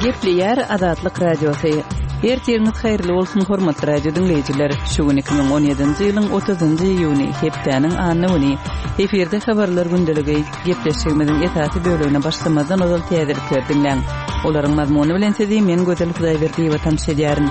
Gepleýär Azatlyk Radiosy. Ertiriňiz haýyrly bolsun, hormatly radio diňleýjiler! Şu gün 2017-nji ýylyň 30-njy iýuny, hepdäniň anna güni. Efirde habarlar gündeligi. Gepleşigimiziň esasy bölegine başlamazdan ozal täzelikleri diňläň. Olaryň mazmuny bilen sizi men Gözel Hudaýberdiýewa tanyş edýärin.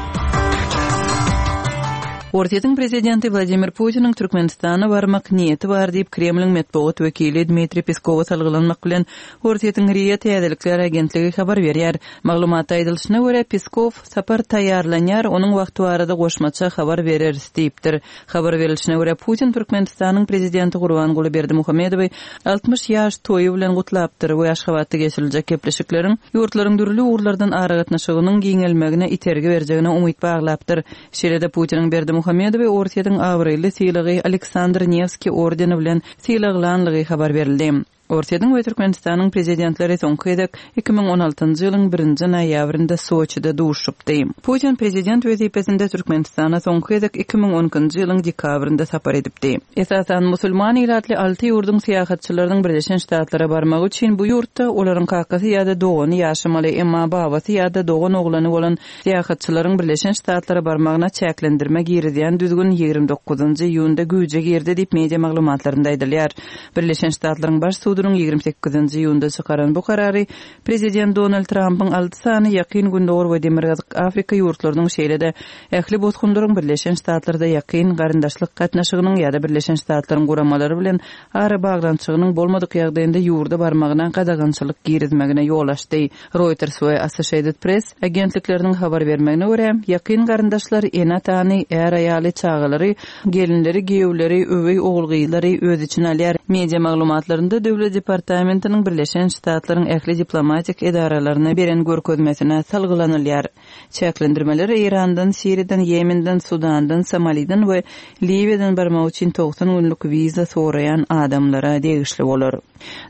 Orsýetiň prezidenti Wladimir Putiniň Türkmenistana barmak niýeti bar diýip, Kremliň metbugat wekili Dmitriý Peskowa salgylanmak bilen, Orsýetiň RIA täzelikler agentligi habar berýär. Maglumatda aýdylyşyna görä, Peskow, Sapar taýýarlanýar, onuň wagty barada goşmaça habar bereris diýipdir. Habar berlişine görä, Putin Türkmenistanyň prezidenti Gurbanguly Berdimuhamedowy 60 ýaş toýy bilen gutlapdyr we Aşgabatda geçiriljek gepleşikleriň ýurtlaryň dürli ugurlardan aragatnaşygynyň giňelmegine itergi berjegine umyt baglapdyr. Şeýle-de Putiniň Berdimuhamedowy Orsýetiň abraýly sylagy Aleksandr Newskiý ordeni bilen sylaglanlygy habar berildi. Orsýetiň we Türkmenistanyň prezidentleri soňky gezek 2016-njy ýylyň birinji noýabrynda Soçide duşuşypdy. Putin prezident wezipesinde Türkmenistana soňky gezek 2012-nji ýylyň dekabrynda sapar edipdi. Esasan musulman ilatly alty ýurduň syýahatçylarynyň Birleşen Ştatlara barmagy üçin bu ýurtda olaryň kakasy ýa-da dogany ýaşamaly, emma babasy ýa-da dogan oglany bolan Syýahatçylaryň Birleşen Ştatlara barmagyna çäklendirme girizýän düzgün 29-njy iýunda güýje girdi diýip, media maglumatlarynda aýdylýar. Birleşen Ştatlaryň Baş sudunyň 28-nji iýunda çykaran bu karary prezident Donald Trampyň alty sany Ýakyn Gündogar we Demirgazyk Afrika ýurtlarynyň şeýle-de ähli bosgunlaryň Birleşen Ştatlarda ýakyn garyndaşlyk gatnaşygynyň ýa-da Birleşen Ştatlaryň guramalary bilen arabaglanyşygynyň bolmadyk ýagdaýynda ýurda barmagyna gadagançylyk girizmegine ýol açdy. Reuters we Associated Press agentlikleriniň habar bermegine görä, ýakyn garyndaşlar ene-atany, är-aýaly, çagalary, gelinleri, giýewleri, öweý ogul-gyzlary öz içine alýar. Media maglumatlarynda Döwlet departamentiniň Birleşen Ştatlaryň ähli diplomatik edaralaryna beren görkezmesine salgylanylýar. Çäklendirmeler Eýrandan, Siriýadan, Ýemenden, Sudandan, Somaliden we Liwiýadan barmak üçin 90 günlük wiza soraýan adamlara degişli bolar.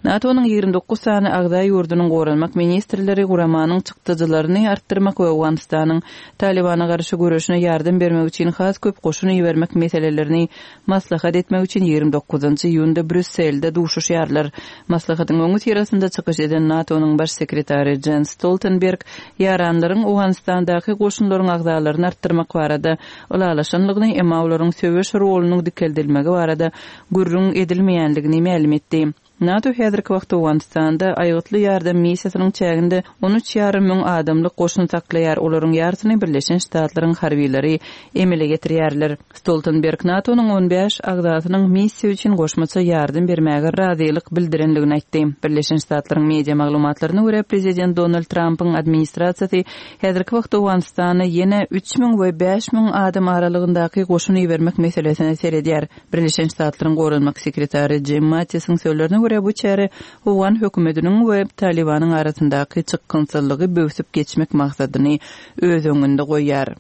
NATO-nyň 29 sany agza ýurdunyň goranmak ministrleri guramanyň çykdajylaryny artdyrmak we Owganystanyň Talybana garşy göreşine ýardam bermek üçin has köp goşun ibermek meselelerini maslahat etmek üçin 29-njy iýunda Brýusselde duşuşýarlar. Maslahatyň öňüsyrasynda çykyş eden NATO-nyň Baş sekretary Jens Stoltenberg ýaranlaryň Owganystandaky goşunlaryň agzalaryny artdyrmak barada ylalaşanlygyny, emma olaryň söweş rolunyň dikeldilmegi barada gürrüň edilmeýänligini mälim etdi. NATO häzirki wagtda Owganystanda Aýgytly ýardam missiýasynyň çäginde on üç ýarym müň adamlyk goşun saklaýar, olaryň ýarysyny Birleşen Ştatlaryň harbylary emele getirýärler. Stoltenberg NATO-nyň on bäş agzasynyň missiýa üçin goşmaça ýardam bermäge razylyk bildirendigini aýtdy. Birleşen Ştatlaryň media maglumatlaryna görä, prezident Donald Trampyň administrasiýasy häzirki wagtda Owganystana ýene 3000 we 5000 adam aralygyndaky goşun ibermek meselesine seredýär. Birleşen Ştatlaryň goranmak sekretary Jim Mattisiň sözlerine görä, bu çäre owgan hökümetiniň we Talybanyň arasyndaky çykgynsyzlygy böwsüp geçmek maksadyny öz öňünde goýýar.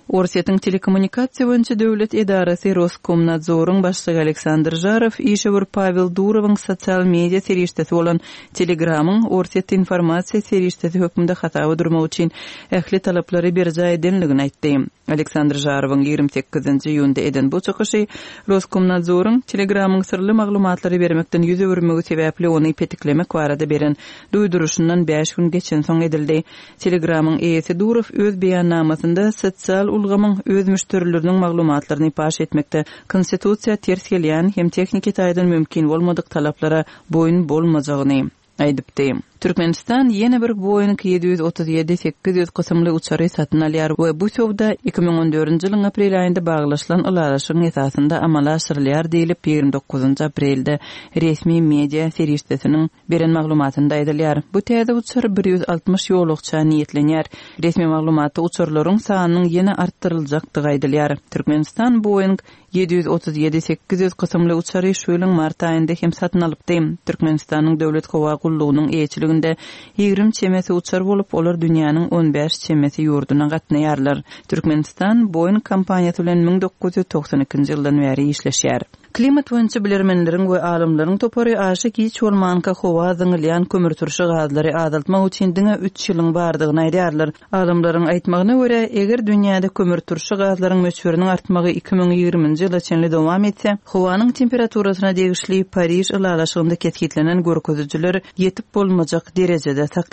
Orsýetiň telekommunikasiýa boýunça döwlet edarasy Roskomnadzoryň başlygy Aleksandr Žarow işewür Pawel Durowyň sosial media serişdesi bolan Telegramyň Orsýetde informasiýa serişdesi hökmünde hasaba durmak üçin ähli talaplary berjaý edenligini aýtdy. Aleksandr Žarowyň 28-nji iýunda eden bu çykyşy Roskomnadzoryň Telegramyň syrly maglumatlary bermekden ýüz öwürmegi sebäpli ony petiklemek barada beren duýduryşyndan bäş gün geçensoň edildi. Telegramyň eýesi Durow öz beýannamasynda sosial ulgamyň öz müşderileriniň maglumatlaryny paş etmekde konstitusiýa ters gelýän hem tehniki taýdan mümkin bolmadyk talaplara boýun bolmajagyny aýdypdy. Türkmenistan ýene bir Boeing 737 800 kysymly uçary satyn alýar we bu söwda 2014-nji ýylyň aprel aýynda baglaşylan ylalaşygyň esasynda amala aşyrylýar diýlip, 29-njy aprelde resmi media serişdesiniň Beren maglumatynda aýdylýar. Bu täze uçar 160 ýolagça niýetlenýär. Resmi maglumatda uçarlaryň sanynyň ýene artdyryljakdygy aýdylýar. Türkmenistan Boeing 737 800 kysymly uçary şu ýylyň mart aýynda hem satyn alypdy. Türkmenistanyň Döwlet howa gullugynyň eýeçiliginde 20 çemesi uçar bolup, olar dünýäniň on bäş çemesi ýurduna gatnaýarlar. Türkmenistan Boeing kompaniýasy bilen 1992-nji ýyldan bäri işleşýär. Klimat boýunça bilermenleriň we alymlaryň topary aşa giç bolmanka howa zyňylýan kömürturşy gazlary azaltmak üçin diňe üç ýylyň bardygyny aýdýarlar. Alymlaryň aýtmagyna görä, eger dünýäde kömürturşy gazlaryň möçberiniň artmagy 2020-nji ýyla çenli dowam etse, howanyň temperaturasyna degişli Pariž ylalaşygynda kesgitlenen görkezijiler ýetip bolmajak derejede saklanar.